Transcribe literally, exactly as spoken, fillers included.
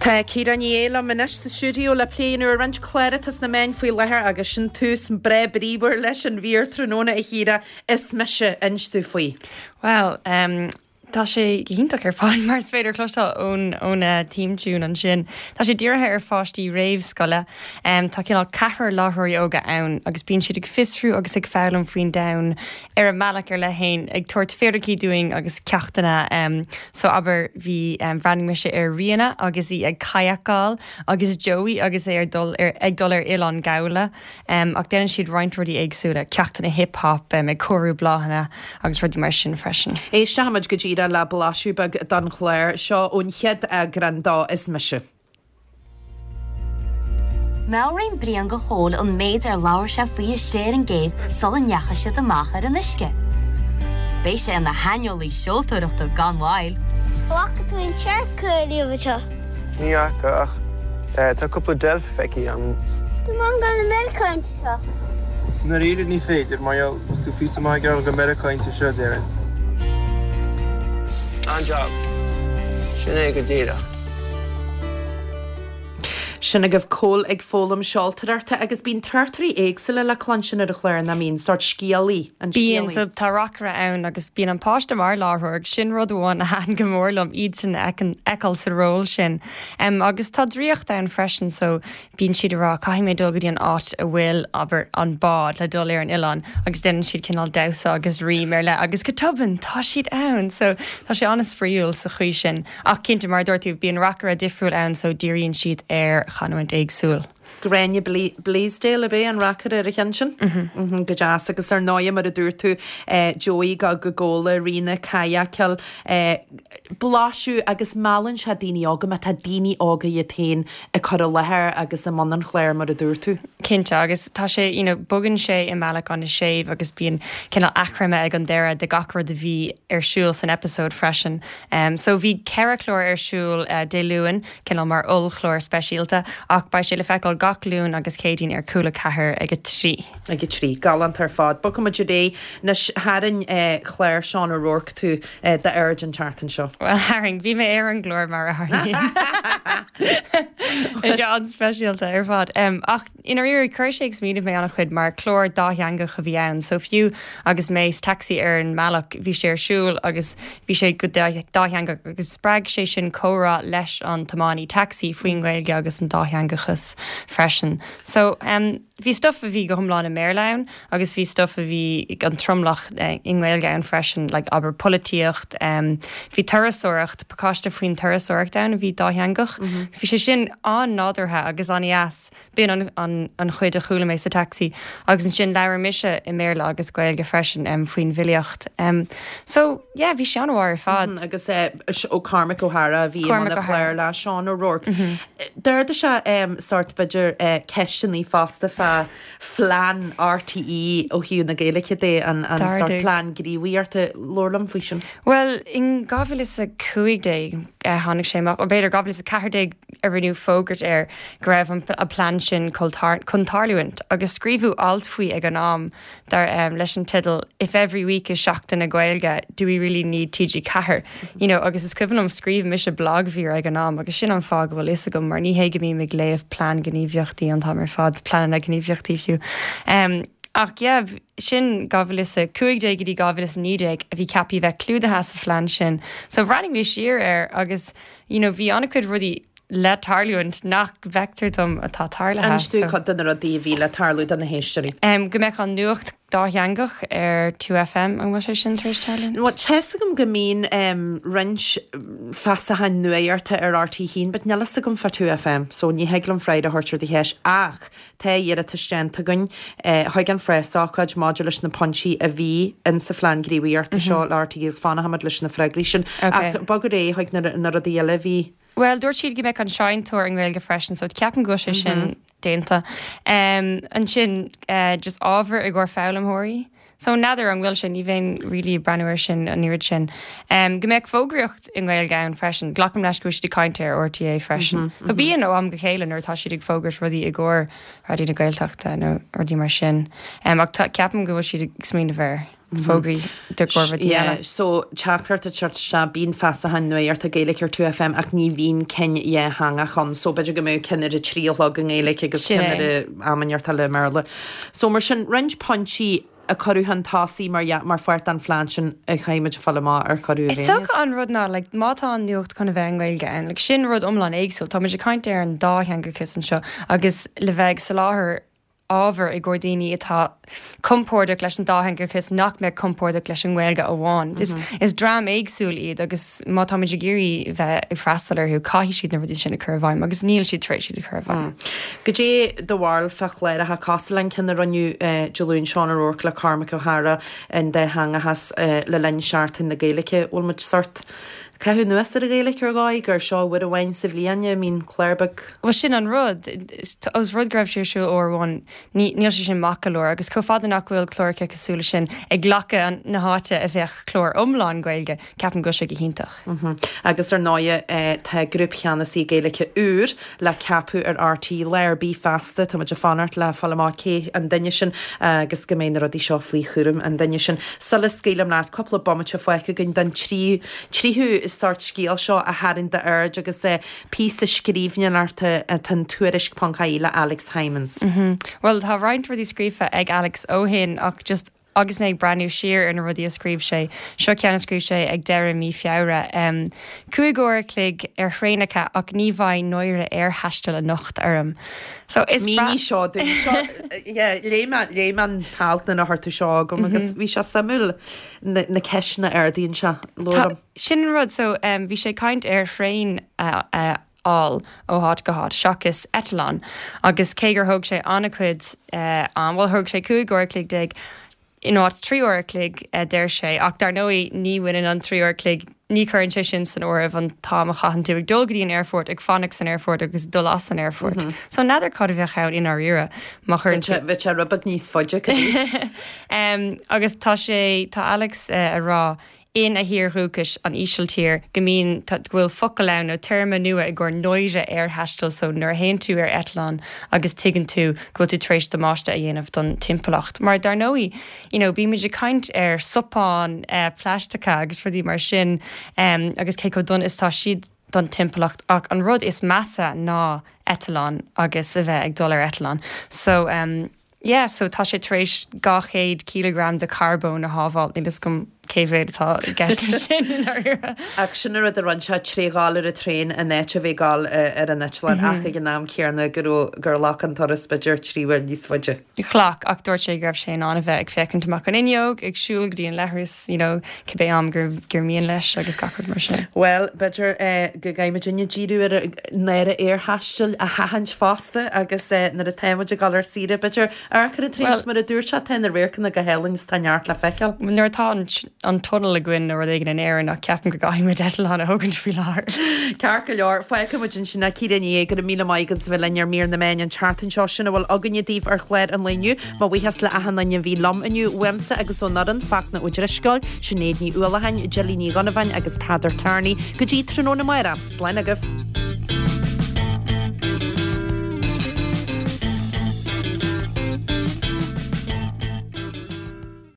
Tá Ciara Ní É liom anois sa stiúideo le plé ar roinnt clár atá sna meáin faoi láthair agus sin tús breá bríomhar leis an mhír tráthnóna a Chiara is mise inis dúinn faoi. Well, um, Tá sé iontach ar fad mar is féidir cloisteáil ón ón theme tune ansin. Tá sé dírithe ar pháistí réamhscoile, um, tá cineál ceathrar láithreoirí óga ann agus bíonn siad ag fiosrú agus ag foghlaim faoin domhan ar a mbealach ar leith féin ag tabhairt fíricí dúinn agus ceachtanna um, so abair bhí um, bhreathnaigh mise ar Ríona agus í ag kayakáil agus Joey agus é ar dul ar, ag dul ar Oileán Ghabhla um, ach déanann siad roinnt rudaí éagsúla ceachtanna hip-hop um, ag cóiriú bláthanna agus rudaí mar sin freisin. Éistfimid go díreach le blaiseadh beag den chlár seo ón chéad eagrán de Is Mise. Meabhraíonn Brian do Chóil an méid ar labhair sé faoi istigh ar an gcéibh sula ndeachaigh siad amach ar an uisce. Beidh sé ina shaineolaí seoltóireachta gan mhoill. Bhfaca tú an siorc riamh seo. Ní fhaca ach tá cúpla deilf feicthe agam. Tá mé ag dul go Meiriceá seo. Dáiríre ní féidir mar tú pí mai go Meiriceá seo déan. An-job. Sin é go díreach. Sin agaibh Cóil ag foghlaim seoltóireachta agus bíonn tráchtairí éagsúla le cluinstin ar an chlár nach mbíonn sórt scéalaí an Bíonn so tá reacaire ann agus bíonn an páiste mar láithreoir sin rud amháin a thaitin go mór liom iad sin feiceáil sa ról sin. Um, agus tá draíocht ann freisin so bíonn siad ag rá caithfidh mé dul go dtí an áit a bhfuil abair an bád le dul ar an oileán agus déanann siad cineál damhsa agus rím ar leith agus go tobann tá siad ann so tá sé an-spraíúil sa chaoi sin ach cinnte mar dúirt tú bíonn reacaire difriúil ann so díríonn siad ar chanúint éagsúil. Gráinne Blaisdale ab é an reacaire ar an cheann sin go deas agus ar ndóigh mar a dúirt tú Joey go go Gabhla Ríona kayakáil blaiseadh agus meallann sé daoine óga má tá daoine óga iad féin ag cur i láthair agus i mbun an chláir mar a dúirt tú. Cinnte agus tá sé you know, bogann sé i mbealach an-séimh agus bíonn cineál achoimre ag an deireadh de gach rud a bhí ar siúl san episode freisin. Um, so bhí ceithre chlár ar siúl uh, Dé Luain cineál mar ollchlár speisialta ach beidh sé le feiceáil gach Luan agus Céadaoin ar Cúla ceathair ag a trí. ag a trí galánta ar fad. Bogfaimid ar aghaidh anois tharraing clár Sean O'Rourke tú d'aird an tseachtain seo. Well tharraing bhí mé ar an gclár mar a tharlaíonn. Is an-speisialta ar fad. Um, ach ina rí chuir sé ag smaoineamh mé an-chuid mar chlár dátheangach a bhí ann, so fiú agus mé sa taxi ar an mbealach bhí sé ar siúl agus bhí sé go dátheangach agus spreag sé sin comhrá leis an tiománaí taxi faoin Ghaeilge agus an dátheangachas freisin. So um, bhí stuff a bhí go hiomlán i mBéarla ann agus bhí stuff a bhí an tromlach eh, i nGaeilge ann freisin, like abair polaitíocht, um, bhí turasóireacht pacáiste faoin turasóireacht ann a bhí dátheangach. Mm -hmm. Bhí sé sin an-nádúrtha agus an-deas b'in an, an, an chuid a chuala mé sa taxi agus ansin labhair mise i mBéarla agus Gaeilge freisin um, faoin bhfilíocht. Um, so yeah, bhí sé an-mhaith ar fad. Mm -hmm, agus uh, ó Cormac O'Hara bhí an chlár le Sean O'Rourke. Mm -hmm. D'ardaigh sé um, sórt b'fhéidir uh, ceisteanna fosta fá phlean RTÉ ó thaobh na Gaeilge de an, an sórt plean gníomhaíochta labhair liom faoi sin. Well in dhá mhíle is a cúig déag tháinig sé amach ó b'fhéidir dhá mhíle is a ceathair déag a rinneadh fógairt air go raibh an a plean sin chun tarlúint agus scríobhadh alt faoi ag an am dar um, leis an teideal if every week is Seachtain na Gaeilge do we really need TG Ceathair you know agus is cuimhin liom scríobh mise blagmhír ag an am agus sin an fáth go bhfuil fhios agam mar ní hé go mbím ag léamh plean gníomhaíochtaí an t-am ar fad pleananna gníomhaíochtaí fiú. Um, ach yeah, sin dhá mhíle is a cúig déag go dtí dhá mhíle is naoi déag a bhí ceaptha bheith clúdaithe sa phlean sin. So bhreathnaigh mé siar air agus you know, bhí an-chuid rudaí le tarlúint nach bhfeictear dom atá tarlaithe. Inis dúinn cuid de na rudaí a bhí le tarlú do na héisteoirí. Um, go mbeadh an nuacht dátheangach ar two FM an bhfuil sé sin tar éis tarlú? Well, tá fhios agam go mbíonn um, roinnt feasacháin nuachta ar RTÉ haon, but níl fhios agam fá two FM, so ní thig liom freagra a thabhairt ar do cheist ach tá iarratas déanta againn eh, chuig an phreasócáid maidir leis na pointí a bhí in sa phlean gníomhaíochta seo le RTÉ agus fanfaimid leis na freagraí sin. Okay. Ach bog ar aghaidh chuig na, na rudaí eile a bhí. Well, dúirt siad go mbeadh an seinnteoir i nGaeilge freisin, so ceapaim go bhfuil sé sin déanta. Um, ansin uh, just ábhar i gcomhair foghlaimeoirí. So n'fheadar an bhfuil sin ní bheinn really breathnú air sin an oiread sin. Um, go mbeadh fógraíocht i nGaeilge ann freisin, Glacaim leis go bhfuil siad ag caint ar RTÉ freisin. Mm -hmm, Bíonn ó am go chéile nuair atá siad ag fógairt rudaí i gcomhair Raidió na Gaeltachta nó rudaí mar sin. Um, ach ceapaim go bhfuil siad ag smaoineamh air. fógraí do rudaí eile. So teachtaireacht ag teacht isteach bíonn feasacháin nuachta Gaeilge ar two FM ach ní bhíonn cinn dhátheangach ann, so b'fhéidir go mbeadh cinn ar a trí a chlog i nGaeilge agus Sin cinn é. ar a am inteacht eile i mBéarla. So mar sin roinnt pointí a cuireadh chun tosaigh mar mar pháirt den phlean sin a chaithfimid a fáil amach ar cuireadh Is dócha an rud ná like, má tá an nuacht chun a bheith i nGaeilge ann, like, sin rud iomlán éagsúil, Tá muid ag caint ar an dátheangachas anseo agus le bheith ag soláthar ábhar i gcomhair daoine atá compordach leis an dátheangachas nach mbeadh compordach leis an nGaeilge amháin. Is, is dream éagsúil iad agus má tá muid ag iarraidh bheith ag freastal orthu caithfidh siad na rudaí sin a chur i bhfeidhm agus níl siad tar éis iad a chur i bhfeidhm. Goidé do bharúil fá chláracha cosúil an ceann a rinneadh Dé Luain Seán O'Rourke le Cormac O'Hara an dátheangachas le linn Seachtain na Gaeilge bhfuil muid sort caitheamh anuas ar an Ghaeilge ar dhóigh gur seo uair amháin sa bhliain a mbíonn clár beag. Well sin an rud os rud go raibh sé ar siúl uair amháin níl sé sin maith go leor agus chomh fada nach bhfuil cláracha cosúil leis sin ag glacadh na háite a bheadh clár iomlán Gaeilge ceapaim go sé go hiontach. Agus ar ndóigh tá grúpcheannasaí Gaeilge úr le ceapadh ar RTÉ lá ar bith feasta tá muid ag fanacht le fáil amach cé an duine sin agus go mbeidh na rudaí seo faoi chúram an duine sin. Sula scaoilim leat cúpla bomaite fágtha againn den tríú tríú sort scéal seo a tharraing d'aird agus é píosa scríbhneoireachta atá in tuairisc ponc ie le Alex Hijmans. Well tá roinnt rudaí scríofa ag Alex ó shin ach just agus mé ag breathnú siar ar na rudaí a scríobh sé, seo ceann a scríobh sé ag deireadh mí Feabhra. Um, Cúig uair a chloig ar thraenacha ach ní bheidh náire aerthaistil anocht orm. So is Mí seo léigh mé an t-alt na hartú seo agam agus bhí sé suimiúil na na ceisteanna a ardaíonn sé Tá- Sin an rud so um, bhí sé caint ar thraein uh, uh, á ó háit go háit seachas eitleán agus cé gur thóg sé an-chuid uh, an bhfuil thóg sé cúig uair a chloig déag in áit trí uair a chloig uh, deir sé ach dar ndóigh ní bhaineann an trí uair a chloig ní chuireann sé sin san áireamh an t-am a chaitheann tú ag dul go dtí an aerfort ag fanacht san aerfort agus dul as an aerfort. Mm -hmm. So n'fheadar cad a bheadh ann i ndáiríre má chuireann tú Bhí sé rud beag níos faide Um, agus tá sé tá Alex uh, a rá in a thír dhúchais an Ísiltír go mbíonn go bhfuil focal ann nó téarma nua i gcomhair náire aerthaistil so nuair a théann tú ar eitleán agus tuigeann tú go bhfuil tú tar éis damáiste a dhéanamh don timpeallacht. Mar dar ndóigh, you know, bímid ag caint ar scupáin uh, plaisteacha agus rudaí mar sin um, agus cé chomh dona is tá siad don timpeallacht ach an rud is measa ná eitleán agus a bheith ag dul ar eitleán. So um, yeah, so tá sé tar éis dhá chéad kilogram de carbón a shábháil níl a fhios agam cé mhéad atá i gceist leis sin i ndáiríre. Ach sin rud a rinne sé trí dhul ar an traein in áit a bheith ag dul ar an eitleán ach ag an am céanna gur gur ghlac an turas b'fhéidir trí uair níos faide. Ghlac ach dúirt sé go raibh sé in ann a bheith ag féachaint amach an fhuinneog ag siúl go dtí an leithreas you know, cibé am gur gur mian leis agus gach rud mar sin. Well, b'fhéidir eh, go gcaithfimid inne díriú ar náire aerthaistil a sheachaint fosta agus eh, nuair atá muid ag dul ar saoire b'fhéidir ar chun an traein mar a dúirt sé tá na radharcanna go hálainn is tá neart le feiceáil. Nuair atá an, an tunnel againn nó rud éigin in Éirinn ach ceapaim go gcaithfimid eitleán a thógaint faoi láthair. Ceart go leor fágfaimid ansin é Ciara Ní É go raibh míle maith agat bheith linn ar mír na meán an tseachtain seo sin a bhfuil againne daoibh ar chlár an lae inniu, Mo bhuíochas le achan duine a bhí liom inniu uaimse agus ón fhoireann Fachtna Ó Drisceoil, Sinéad Ní Uallacháin, Jilly Ní Dhonnabháin agus Peadar Kearney go dtí tráthnóna amárach. Slán agaibh.